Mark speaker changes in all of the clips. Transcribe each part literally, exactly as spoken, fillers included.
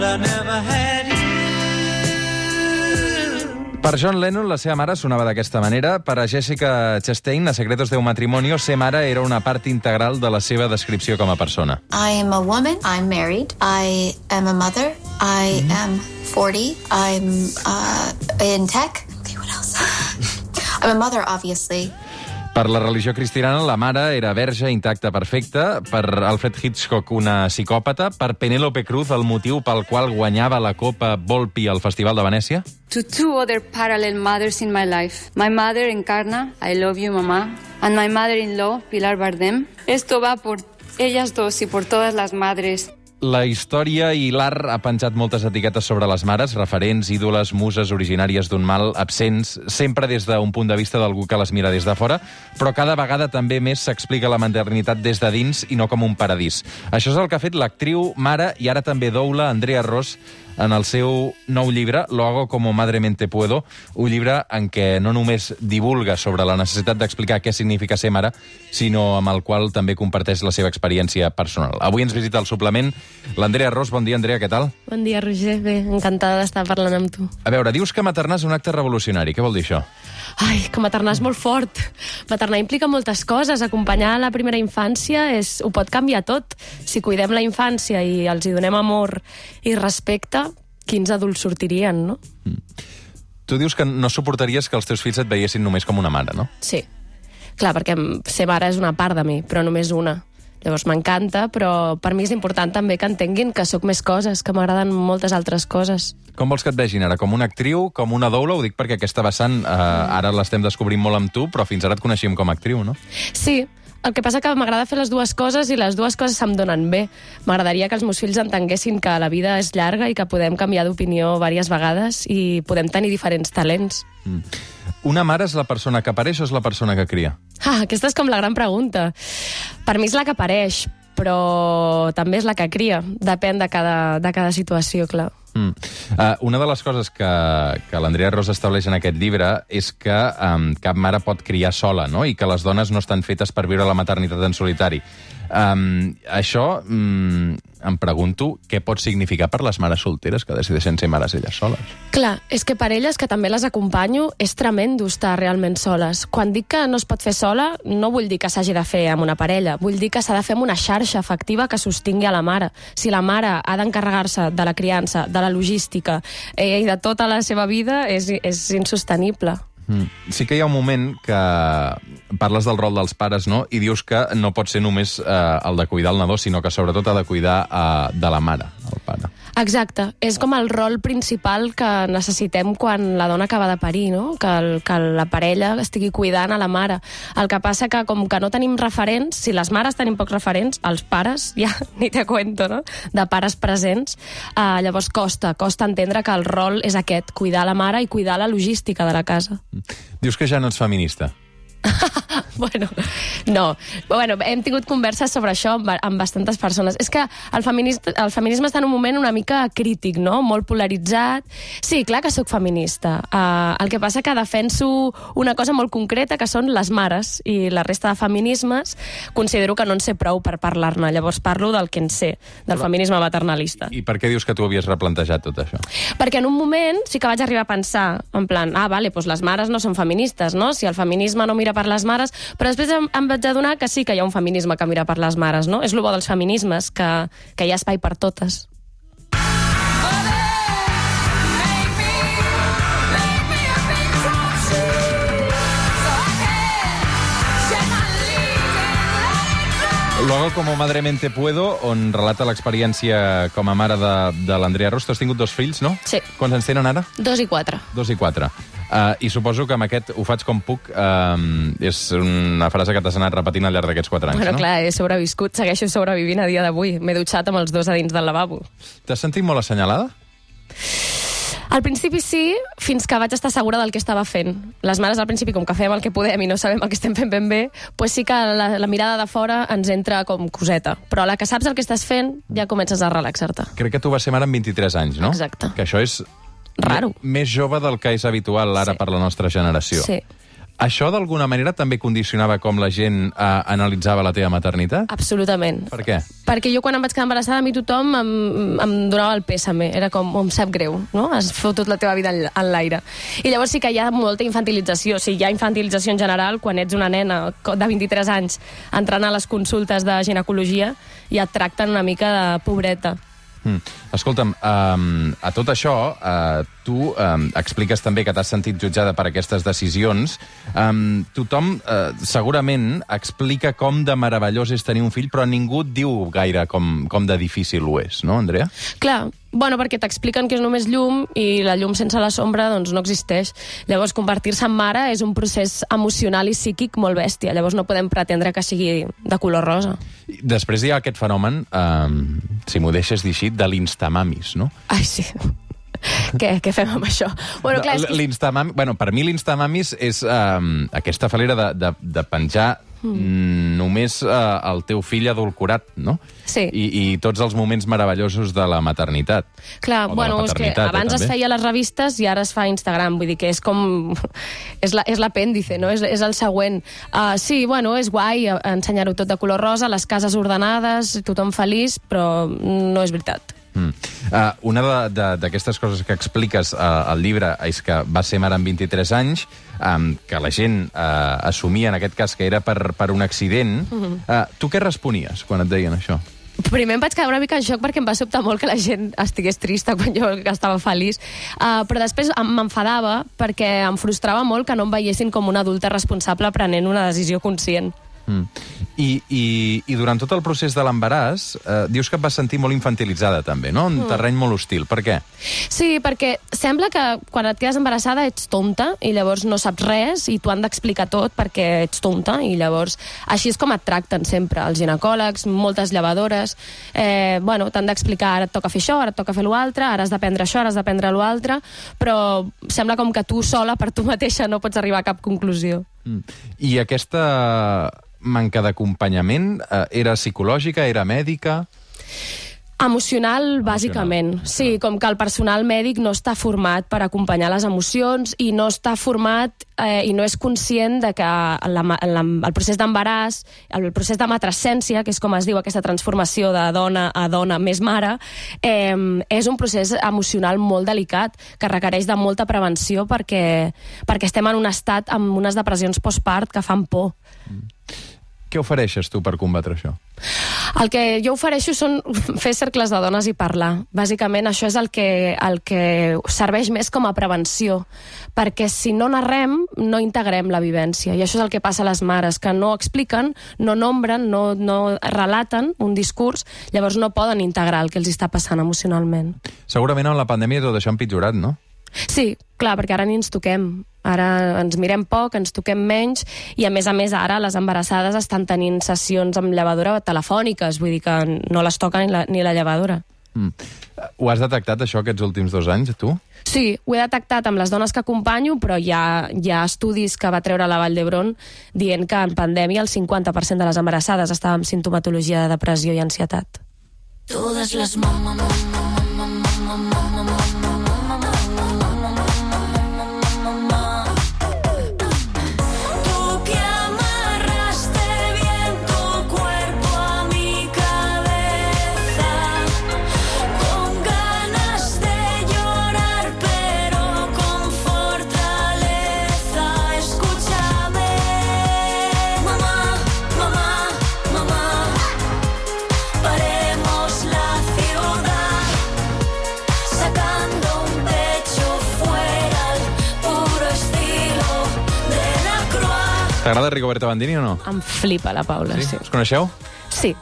Speaker 1: but I never had you.
Speaker 2: Per John Lennon, la seva mare sonava d'aquesta manera. Per a Jessica Chastain, a Secretos de un matrimonio, ser mare era una part integral de la seva descripció com a persona.
Speaker 3: I am a woman. I'm married. I am a mother. I mm-hmm. am forty. I'm uh, in tech. Okay, what else? I'm a mother, obviously.
Speaker 2: Per la religió cristiana, la mare era verge, intacta, perfecta. Per Alfred Hitchcock, una psicòpata. Per Penélope Cruz, el motiu pel qual guanyava la Copa Volpi al Festival de Venècia.
Speaker 4: To two other parallel mothers in my life. My mother, Encarna, I love you, mamá. And my mother-in-law, Pilar Bardem. Esto va por ellas dos y por todas las madres.
Speaker 2: La història i l'art ha penjat moltes etiquetes sobre les mares, referents, ídoles, muses originàries d'un mal, absents, sempre des d'un punt de vista d'algú que les mira des de fora, però cada vegada també més s'explica la maternitat des de dins i no com un paradís. Això és el que ha fet l'actriu, mare i ara també doula Andrea Ross en el seu nou llibre, Lo hago como madremente puedo, un llibre en què no només divulga sobre la necessitat d'explicar què significa ser mare, sinó amb el qual també comparteix la seva experiència personal. Avui ens visita el suplement l'Andrea Ross. Bon dia, Andrea, què tal?
Speaker 5: Bon dia, Roger. Bé, encantada d'estar parlant amb tu.
Speaker 2: A veure, dius que maternar és un acte revolucionari. Què vol dir això?
Speaker 5: Ai, que maternar és molt fort. Maternar implica moltes coses. Acompanyar la primera infància és, ho pot canviar tot. Si cuidem la infància i els hi donem amor i respecte, quins adults sortirien, no?
Speaker 2: Mm. Tu dius que no suportaries que els teus fills et veiessin només com una mare, no?
Speaker 5: Sí. Clar, perquè ser mare és una part de mi, però només una. Llavors m'encanta, però per mi és important també que entenguin que sóc més coses, que m'agraden moltes altres coses.
Speaker 2: Com vols que et vegin ara? Com una actriu, com una doula? Ho dic perquè aquesta vessant eh, ara l'estem descobrint molt amb tu, però fins ara et coneixíem com a actriu, no?
Speaker 5: Sí, el que passa que m'agrada fer les dues coses i les dues coses se'm donen bé. M'agradaria que els meus fills entenguessin que la vida és llarga i que podem canviar d'opinió diverses vegades i podem tenir diferents talents.
Speaker 2: Mm. Una mare és la persona que apareix o és la persona que cria?
Speaker 5: Ah, aquesta és com la gran pregunta. Per mi és la que apareix, però també és la que cria. Depèn de cada, de cada situació, clar.
Speaker 2: Mm. Uh, una de les coses que, que l'Andrea Ross estableix en aquest llibre és que um, cap mare pot criar sola, no? I que les dones no estan fetes per viure la maternitat en solitari. Um, això, um, em pregunto, què pot significar per les mares solteres que decideixen ser mares elles soles?
Speaker 5: Clar, és que per elles, que també les acompanyo, és tremendo estar realment soles. Quan dic que no es pot fer sola, no vull dir que s'hagi de fer amb una parella, vull dir que s'ha de fer amb una xarxa efectiva que sostingui a la mare. Si la mare ha d'encarregar-se de la criança, de la logística eh, i de tota la seva vida, és, és insostenible.
Speaker 2: Mm. Sí que hi ha un moment que parles del rol dels pares, no? I dius que no pot ser només eh, el de cuidar el nadó, sinó que sobretot ha de cuidar eh, de la mare, el pare.
Speaker 5: Exacte. És com el rol principal que necessitem quan la dona acaba de parir, no? Que, el, que la parella estigui cuidant a la mare. El que passa que com que no tenim referents, si les mares tenim pocs referents, els pares, ja ni te cuento, no? De pares presents, eh, llavors costa, costa entendre que el rol és aquest, cuidar la mare i cuidar la logística de la casa.
Speaker 2: Dius que ja no ets feminista.
Speaker 5: bueno, no. Bueno, hem tingut converses sobre això amb, amb bastantes persones. És que el, feminista, el feminisme està en un moment una mica crític, no? Molt polaritzat. Sí, clar que sóc feminista. Uh, el que passa que defenso una cosa molt concreta, que són les mares, i la resta de feminismes considero que no en sé prou per parlar-ne. Llavors parlo del que en sé, del Però, feminisme maternalista.
Speaker 2: I, I per què dius que tu havies replantejat tot això?
Speaker 5: Perquè en un moment sí que vaig arribar a pensar, en plan, ah, vale, doncs les mares no són feministes, no? Si el feminisme no mira per les mares, però després em, em vaig adonar que sí que hi ha un feminisme que mira per les mares, no? És el bo dels feminismes, que, que hi ha espai per totes.
Speaker 2: Lo hago como madremente puedo, on relata l'experiència com a mare de, de l'Andrea Ross. Tu has tingut dos fills, no?
Speaker 5: Sí.
Speaker 2: Quants anys tenen ara?
Speaker 5: Dos i quatre.
Speaker 2: Dos i quatre. Uh, I suposo que amb aquest ho faig com puc. Uh, és una frase que t'has anat repetint al llarg d'aquests quatre anys,
Speaker 5: bueno,
Speaker 2: no?
Speaker 5: Clar, he sobreviscut, segueixo sobrevivint a dia d'avui. M'he dutxat amb els dos a dins del lavabo.
Speaker 2: T'has sentit molt assenyalada?
Speaker 5: Al principi sí, fins que vaig estar segura del que estava fent. Les mares al principi, com que fem el que podem i no sabem el que estem fent ben bé, pues sí que la, la mirada de fora ens entra com coseta. Però a la que saps el que estàs fent, ja comences a relaxar-te.
Speaker 2: Crec que tu vas ser mare amb vint-i-tres anys, no?
Speaker 5: Exacte.
Speaker 2: Que això és
Speaker 5: raro.
Speaker 2: Més jove del que és habitual ara sí. per la nostra generació.
Speaker 5: Sí.
Speaker 2: Això, d'alguna manera, també condicionava com la gent eh, analitzava la teva maternitat?
Speaker 5: Absolutament.
Speaker 2: Per què?
Speaker 5: Perquè jo, quan em vaig quedar embarassada, a mi tothom em, em donava el pèsame. Era com, oh, em sap greu, no? Has fotut la teva vida en, en l'aire. I llavors sí que hi ha molta infantilització. O sigui, hi ha infantilització en general quan ets una nena de vint-i-tres anys entrant a les consultes de ginecologia i et tracten una mica de pobreta.
Speaker 2: Mm. Escolta'm, um, a tot això, uh, tu um, expliques també que t'has sentit jutjada per aquestes decisions. Um, tothom uh, segurament explica com de meravellós és tenir un fill, però ningú et diu gaire com, com de difícil ho és, no, Andrea?
Speaker 5: Clar, bueno, perquè t'expliquen que és només llum i la llum sense la sombra doncs no existeix. Llavors, convertir-se en mare és un procés emocional i psíquic molt bèstia. Llavors no podem pretendre que sigui de color rosa.
Speaker 2: Després hi ha aquest fenomen, um, si m'ho deixes dir així, de l'instamamis, no?
Speaker 5: Ai, sí. què, què fem amb això? Bueno, clar, és que...
Speaker 2: L'instamami, bueno, per mi l'instamamis és um, aquesta falera de, de, de penjar mm. només uh, el teu fill adulcorat, no?
Speaker 5: Sí.
Speaker 2: I, i tots els moments meravellosos de la maternitat.
Speaker 5: Clar, bueno, és que abans eh, es feia a les revistes i ara es fa a Instagram, vull dir que és com... és l'apèndice, no? És, és el següent. Uh, sí, bueno, és guai ensenyar-ho tot de color rosa, les cases ordenades, tothom feliç, però no és veritat.
Speaker 2: Mm. Uh, una d'aquestes coses que expliques uh, al llibre és que va ser mare amb vint-i-tres anys, um, que la gent uh, assumia en aquest cas que era per, per un accident. Uh-huh. uh, tu què responies quan et deien això?
Speaker 5: Primer em vaig quedar una mica en xoc perquè em va sobtar molt que la gent estigués trista quan jo estava feliç, uh, però després m'enfadava perquè em frustrava molt que no em veiessin com una adulta responsable prenent una decisió conscient.
Speaker 2: Mm. I, i, I durant tot el procés de l'embaràs eh, dius que et vas sentir molt infantilitzada també, no? Un mm. terreny molt hostil. Per què?
Speaker 5: Sí, perquè sembla que quan et quedes embarassada ets tonta i llavors no saps res i t'ho han d'explicar tot perquè ets tonta i llavors així és com et tracten sempre els ginecòlegs, moltes llevadores. Eh, bueno, t'han d'explicar ara et toca fer això, ara et toca fer l'altre, ara has d'aprendre això, ara has d'aprendre l'altre, però sembla com que tu sola per tu mateixa no pots arribar a cap conclusió.
Speaker 2: Mm. I aquesta manca d'acompanyament eh, era psicològica, era mèdica?
Speaker 5: Emocional, bàsicament. Emocional. Sí, com que el personal mèdic no està format per acompanyar les emocions i no està format eh, i no és conscient de que la, la, el procés d'embaràs, el procés de matrescència, que és com es diu aquesta transformació de dona a dona més mare, eh, és un procés emocional molt delicat que requereix de molta prevenció perquè, perquè estem en un estat amb unes depressions postpart que fan por.
Speaker 2: Mm. Què ofereixes tu per combatre això?
Speaker 5: El que jo ofereixo són fer cercles de dones i parlar. Bàsicament això és el que, el que serveix més com a prevenció, perquè si no narrem, no integrem la vivència. I això és el que passa a les mares, que no expliquen, no nombren, no, no relaten un discurs, llavors no poden integrar el que els està passant emocionalment.
Speaker 2: Segurament amb la pandèmia tot això ha empitjorat, no?
Speaker 5: Sí, clar, perquè ara ni ens toquem. Ara ens mirem poc, ens toquem menys i, a més a més, ara les embarassades estan tenint sessions amb llevadora telefòniques, vull dir que no les toca ni la, ni la llevadora.
Speaker 2: Mm. Ho has detectat, això, aquests últims dos anys, tu?
Speaker 5: Sí, ho he detectat amb les dones que acompanyo, però hi ha, hi ha estudis que va treure la Vall d'Hebron dient que en pandèmia el cinquanta per cent de les embarassades estaven amb sintomatologia de depressió i ansietat. Totes les mamá, mamá, mamá, mamá, mamá,
Speaker 2: T'agrada Rigoberta Bandini o no?
Speaker 5: Em flipa la Paula, sí. sí.
Speaker 2: Us coneixeu?
Speaker 5: Sí.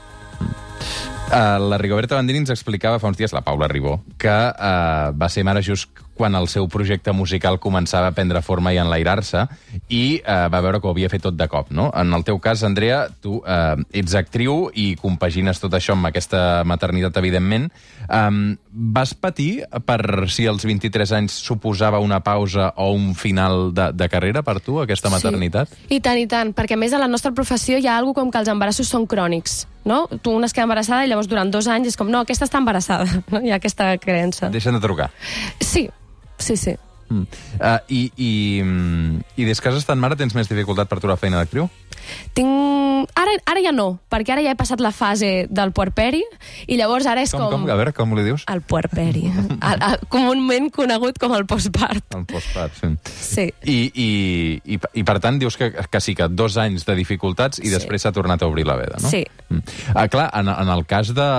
Speaker 2: Uh, la Rigoberta Bandini ens explicava fa uns dies, la Paula Ribó, que uh, va ser mare just quan el seu projecte musical començava a prendre forma i enlairar-se i uh, va veure que ho havia fet tot de cop, no? En el teu cas, Andrea, tu uh, ets actriu i compagines tot això amb aquesta maternitat, evidentment. Um, vas patir per si als vint-i-tres anys suposava una pausa o un final de, de carrera per tu, aquesta maternitat?
Speaker 5: Sí, i tant, i tant, perquè a més a la nostra professió hi ha alguna com que els embarassos són crònics, no? Tu una es queda embarassada i llavors durant dos anys és com, no, aquesta està embarassada, no? Hi ha aquesta creença.
Speaker 2: Deixen de trucar.
Speaker 5: Sí, sí, sí.
Speaker 2: Mm. Uh, i, i, I des que has estat mare tens més dificultat per trobar feina d'actriu?
Speaker 5: Tinc... Ara, ara ja no, perquè ara ja he passat la fase del puerperi i llavors ara és
Speaker 2: com,
Speaker 5: com...
Speaker 2: com? A veure, com li dius?
Speaker 5: El puerperi. el, el, comúment conegut com el postpart.
Speaker 2: El postpart, sí.
Speaker 5: Sí.
Speaker 2: I, i, i, I per tant dius que, que sí, que dos anys de dificultats i
Speaker 5: sí.
Speaker 2: després s'ha tornat a obrir la veda, no?
Speaker 5: Sí.
Speaker 2: Mm. Ah, clar, en, en el cas de...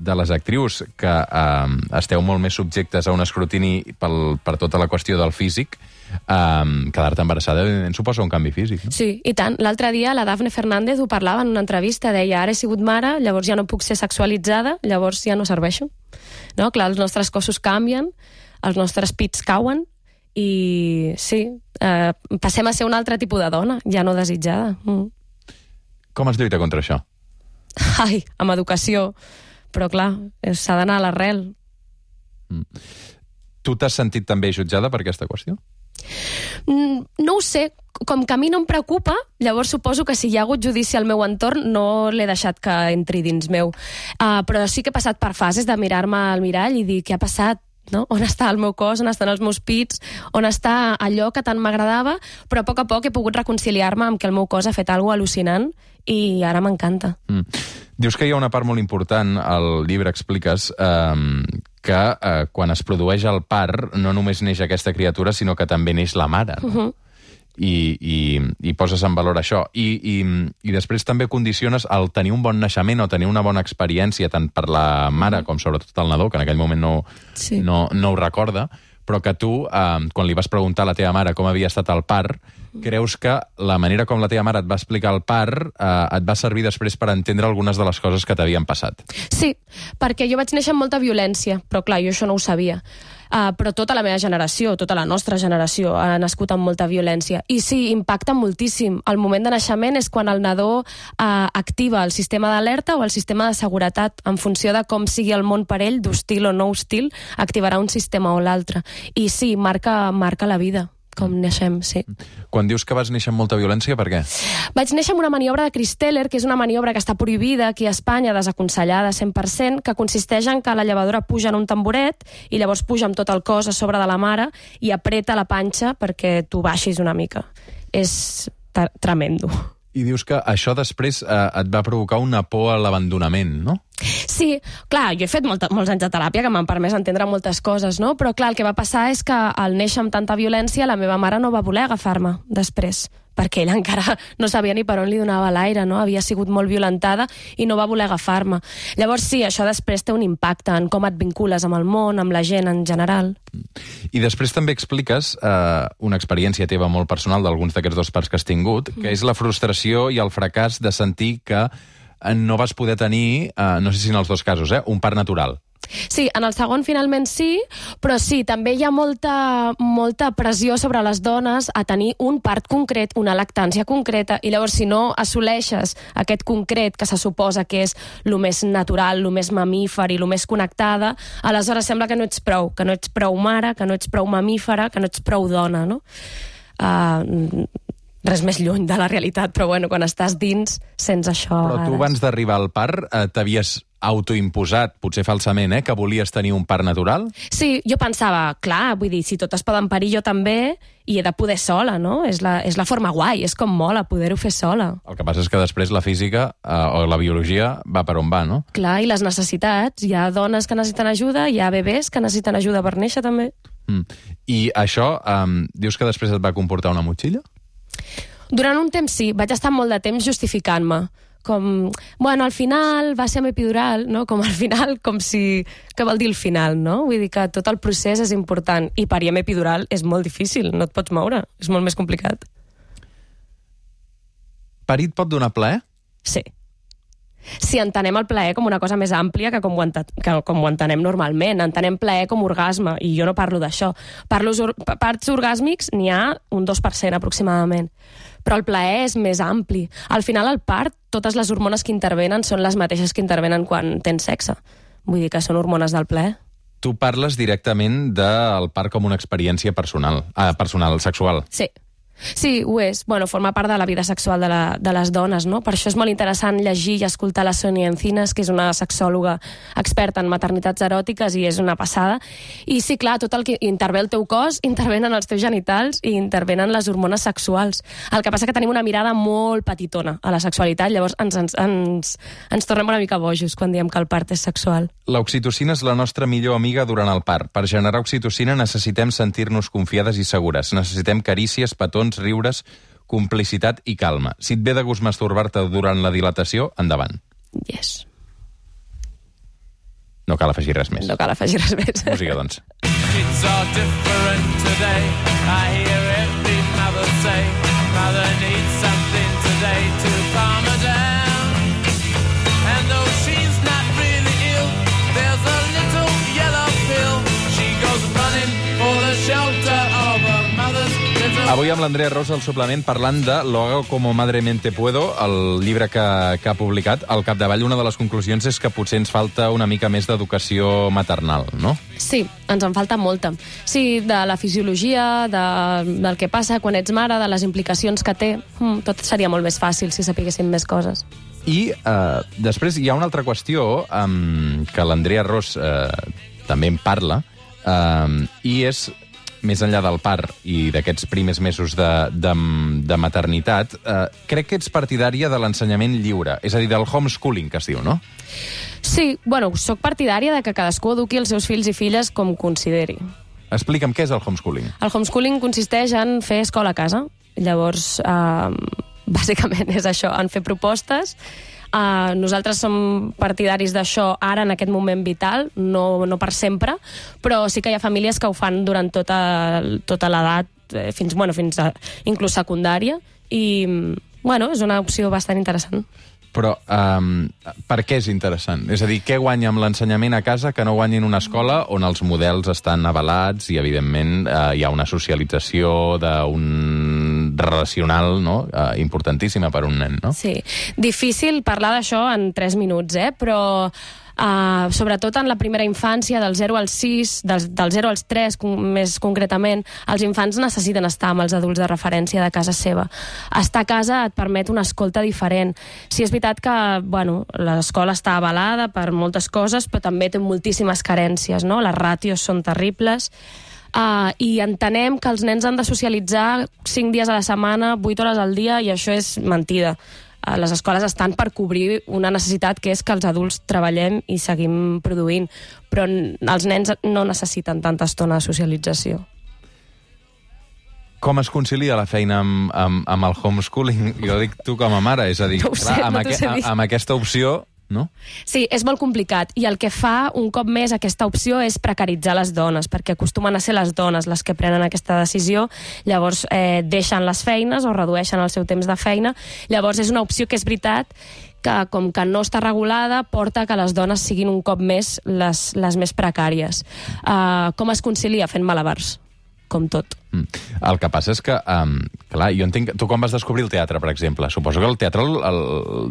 Speaker 2: de les actrius que eh, esteu molt més subjectes a un escrutini pel, per tota la qüestió del físic, eh, quedar-te embarassada evidentment suposa un canvi físic, no?
Speaker 5: Sí, i tant. L'altre dia la Dafne Fernández ho parlava en una entrevista, deia, ara he sigut mare, llavors ja no puc ser sexualitzada, llavors ja no serveixo. No? Clar, els nostres cossos canvien, els nostres pits cauen, i sí, eh, passem a ser un altre tipus de dona, ja no desitjada. Mm.
Speaker 2: Com es lluita contra això?
Speaker 5: Ai, amb educació. Però, clar, s'ha d'anar a l'arrel.
Speaker 2: Mm. Tu t'has sentit també jutjada per aquesta qüestió?
Speaker 5: Mm, no ho sé. Com que a mi no em preocupa, llavors suposo que si hi ha hagut judici al meu entorn no l'he deixat que entri dins meu. Uh, però sí que he passat per fases de mirar-me al mirall i dir què ha passat, no? On està el meu cos, on estan els meus pits, on està allò que tant m'agradava, però a poc a poc he pogut reconciliar-me amb que el meu cos ha fet alguna cosa al·lucinant i ara m'encanta.
Speaker 2: Mm. Dius que hi ha una part molt important, al llibre expliques, eh, que eh, quan es produeix el part no només neix aquesta criatura, sinó que també neix la mare, no? Uh-huh. I, i, i poses en valor això. I, i, I després també condiciones el tenir un bon naixement o tenir una bona experiència, tant per la mare com sobretot el nadó, que en aquell moment no,
Speaker 5: sí.
Speaker 2: no, no ho recorda, però que tu, eh, quan li vas preguntar a la teva mare com havia estat el part, creus que la manera com la teva mare et va explicar el part eh, et va servir després per entendre algunes de les coses que t'havien passat.
Speaker 5: Sí, perquè jo vaig néixer amb molta violència, però clar, jo això no ho sabia. Uh, però tota la meva generació, tota la nostra generació ha nascut amb molta violència. I sí, impacta moltíssim. El moment de naixement és quan el nadó uh, activa el sistema d'alerta o el sistema de seguretat. En funció de com sigui el món per ell, d'hostil o no hostil, activarà un sistema o l'altre. I sí, marca, marca la vida. Com neixem, sí.
Speaker 2: Quan dius que vas néixer amb molta violència, per què?
Speaker 5: Vaig néixer amb una maniobra de Christeller, que és una maniobra que està prohibida aquí a Espanya, desaconsellada cent per cent, que consisteix en que la llevadora puja en un tamboret i llavors puja amb tot el cos a sobre de la mare i apreta la panxa perquè tu baixis una mica. És tremendo.
Speaker 2: I dius que això després eh, et va provocar una por a l'abandonament, no?
Speaker 5: Sí, clar, jo he fet molta, molts anys de teràpia que m'han permès entendre moltes coses, no? Però clar, el que va passar és que al néixer amb tanta violència la meva mare no va voler agafar-me després, perquè ella encara no sabia ni per on li donava l'aire, no? Havia sigut molt violentada i no va voler agafar-me. Llavors sí, això després té un impacte en com et vincules amb el món, amb la gent en general.
Speaker 2: I després també expliques eh, una experiència teva molt personal d'alguns d'aquests dos parts que has tingut, que és la frustració i el fracàs de sentir que no vas poder tenir, eh, no sé si en els dos casos, eh, un part natural.
Speaker 5: Sí, en el segon finalment sí, però sí, també hi ha molta, molta pressió sobre les dones a tenir un part concret, una lactància concreta, i llavors si no assoleixes aquest concret que se suposa que és el més natural, el més mamífer i el més connectada, aleshores sembla que no ets prou, que no ets prou mare, que no ets prou mamífera, que no ets prou dona, no? Uh, res més lluny de la realitat, però bueno, quan estàs dins, sents això.
Speaker 2: Però tu abans d'arribar al part eh, t'havies autoimposat, potser falsament, eh, que volies tenir un part natural?
Speaker 5: Sí, jo pensava, clar, vull dir, si totes poden parir, jo també, i he de poder sola, no? És la, és la forma guai, és com mola poder-ho fer sola.
Speaker 2: El que passa és que després la física eh, o la biologia va per on va, no?
Speaker 5: Clar, i les necessitats. Hi ha dones que necessiten ajuda, hi ha bebès que necessiten ajuda per néixer, també.
Speaker 2: Mm. I això, eh, dius que després et va comportar una motxilla?
Speaker 5: Durant un temps sí, vaig estar molt de temps justificant-me. Com, bueno, al final va ser amb epidural, no? Com al final, com si... Què vol dir el final, no? Vull dir que tot el procés és important. I parir amb epidural és molt difícil, no et pots moure. És molt més complicat.
Speaker 2: Parir et pot donar plaer?
Speaker 5: Sí. Si entenem el plaer com una cosa més àmplia que com ho, ent que com ho entenem normalment. Entenem plaer com orgasme, i jo no parlo d'això. Parlo parts orgàsmics n'hi ha un dos per cent aproximadament. Però el plaer és més ampli. Al final, al part, totes les hormones que intervenen són les mateixes que intervenen quan tens sexe. Vull dir que són hormones del plaer.
Speaker 2: Tu parles directament del part com una experiència personal, ah, personal, sexual.
Speaker 5: Sí. Sí, ho és. Bueno, forma part de la vida sexual de, la, de les dones, no? Per això és molt interessant llegir i escoltar la Sonia Encinas, que és una sexòloga experta en maternitats eròtiques i és una passada. I sí, clar, tot el que intervé el teu cos, intervenen els teus genitals i intervenen les hormones sexuals. El que passa que tenim una mirada molt petitona a la sexualitat, llavors ens, ens, ens, ens tornem una mica bojos quan diem que el part és sexual.
Speaker 2: L'oxitocina és la nostra millor amiga durant el part. Per generar oxitocina necessitem sentir-nos confiades i segures. Necessitem carícies, petons, riures, complicitat i calma. Si et ve de gust masturbar-te durant la dilatació, endavant.
Speaker 5: Yes.
Speaker 2: No cal afegir res més.
Speaker 5: No cal afegir res més.
Speaker 2: Música, doncs.
Speaker 1: It's all different today. I hear every mother say, mother needs something today to calm her down. And though she's not really ill, there's a little yellow pill. She goes running for the shelter of her mother's little...
Speaker 2: Avui amb l'Andrea Rosa al suplement parlant de Lo hago como madremente puedo, el llibre que, que ha publicat. Al capdavall, una de les conclusions és que potser ens falta una mica més d'educació maternal, no?
Speaker 5: Sí, ens en falta molta. Sí, de la fisiologia, de, del que passa quan ets mare, de les implicacions que té. Mm, tot seria molt més fàcil si sapiguéssim més coses.
Speaker 2: I eh, després hi ha una altra qüestió um, que l'Andrea Ros eh, també en parla, um, i és, més enllà del part i d'aquests primers mesos de, de, de maternitat, eh, crec que ets partidària de l'ensenyament lliure, és a dir, del homeschooling, que es diu, no?
Speaker 5: Sí, bueno, sóc partidària de que cadascú eduqui els seus fills i filles com consideri.
Speaker 2: Explica'm què és el homeschooling.
Speaker 5: El homeschooling consisteix en fer escola a casa. Llavors, eh, bàsicament és això, en fer propostes. Uh, nosaltres som partidaris d'això ara, en aquest moment vital, no, no per sempre, però sí que hi ha famílies que ho fan durant tota, tota l'edat, eh, fins, bueno, fins a inclús secundària, i bueno, és una opció bastant interessant.
Speaker 2: Però um, per què és interessant? És a dir, què guanya amb l'ensenyament a casa que no guanya en una escola on els models estan avalats i, evidentment, uh, hi ha una socialització d'un relacional, no? uh, importantíssima per un nen, no?
Speaker 5: Sí. Difícil parlar d'això en tres minuts, eh? Però Uh, sobretot en la primera infància, del zero als sis, del, del zero als tres, com, més concretament, els infants necessiten estar amb els adults de referència de casa seva. Estar a casa et permet una escolta diferent. Sí, és veritat que, bueno, l'escola està avalada per moltes coses, però també té moltíssimes carències, no? Les ràtios són terribles. Uh, i entenem que els nens han de socialitzar cinc dies a la setmana, vuit hores al dia, i això és mentida. Les escoles estan per cobrir una necessitat que és que els adults treballem i seguim produint, però els nens no necessiten tanta estona de socialització.
Speaker 2: Com es concilia la feina amb, amb, amb el homeschooling? Jo dic tu com a mare, és a dir,
Speaker 5: no sé,
Speaker 2: clar, amb,
Speaker 5: no
Speaker 2: aqu amb aquesta opció, no?
Speaker 5: Sí, és molt complicat, i el que fa un cop més aquesta opció és precaritzar les dones, perquè acostumen a ser les dones les que prenen aquesta decisió, llavors eh, deixen les feines o redueixen el seu temps de feina. Llavors és una opció que és veritat que, com que no està regulada, porta que les dones siguin un cop més les, les més precàries. Uh, com es concilia? Fent malabars, com tot.
Speaker 2: Mm. El que passa és que, um, clar, jo entenc... Tu quan vas descobrir el teatre, per exemple, suposo que el teatre, el, el,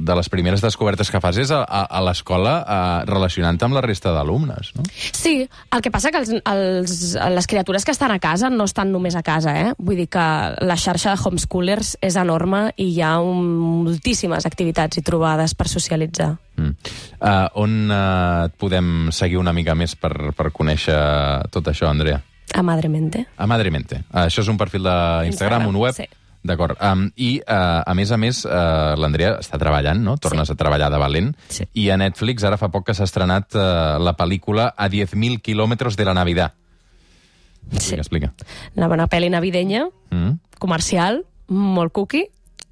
Speaker 2: de les primeres descobertes que fas és a, a, a l'escola uh, relacionant-te amb la resta d'alumnes, no?
Speaker 5: Sí, el que passa que els, els, les criatures que estan a casa no estan només a casa, eh? Vull dir que la xarxa de homeschoolers és enorme i hi ha un, moltíssimes activitats i trobades per socialitzar.
Speaker 2: Mm. Uh, on uh, et podem seguir una mica més per, per conèixer tot això, Andrea?
Speaker 5: A Madremente.
Speaker 2: A Madremente. Uh, això és un perfil d'Instagram, un web.
Speaker 5: Sí.
Speaker 2: D'acord. Um, I, uh, a més a més, uh, l'Andrea està treballant, no? Tornes sí. a treballar de valent.
Speaker 5: Sí.
Speaker 2: I a Netflix ara fa poc que s'ha estrenat uh, la pel·lícula A diez mil kilómetros de la Navidad.
Speaker 5: Sí.
Speaker 2: Explica, explica.
Speaker 5: Una bona pel·li navidenya,
Speaker 2: Mm.
Speaker 5: comercial, molt cookie,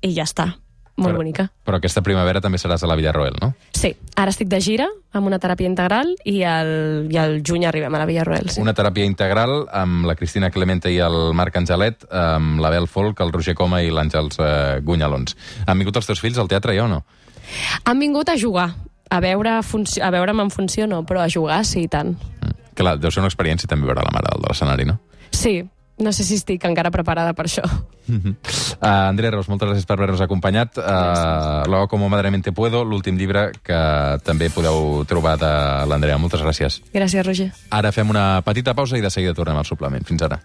Speaker 5: i ja està. Molt
Speaker 2: però,
Speaker 5: bonica.
Speaker 2: Però aquesta primavera també seràs a la Villarroel, no?
Speaker 5: Sí, ara estic de gira amb una teràpia integral i al, i al juny arribem a la Villarroel. Sí.
Speaker 2: Una teràpia integral amb la Cristina Clemente i el Marc Angelet, amb l'Abel Folk, el Roger Coma i l'Àngels eh, Gunyalons. Han vingut els teus fills al teatre, ja o no?
Speaker 5: Han vingut a jugar, a veure a veure'm en funció no, però a jugar sí, i tant.
Speaker 2: Mm. Clar, deu ser una experiència també veure la mare de l'escenari, no?
Speaker 5: Sí, no sé si estic encara preparada per això.
Speaker 2: Uh, Andrea Ros, moltes gràcies per haver-nos acompanyat. Uh, Lo hago como madremente puedo, l'últim llibre que també podeu trobar de l'Andrea. Moltes gràcies.
Speaker 5: Gràcies, Roger.
Speaker 2: Ara fem una petita pausa i de seguida tornem al suplement. Fins ara.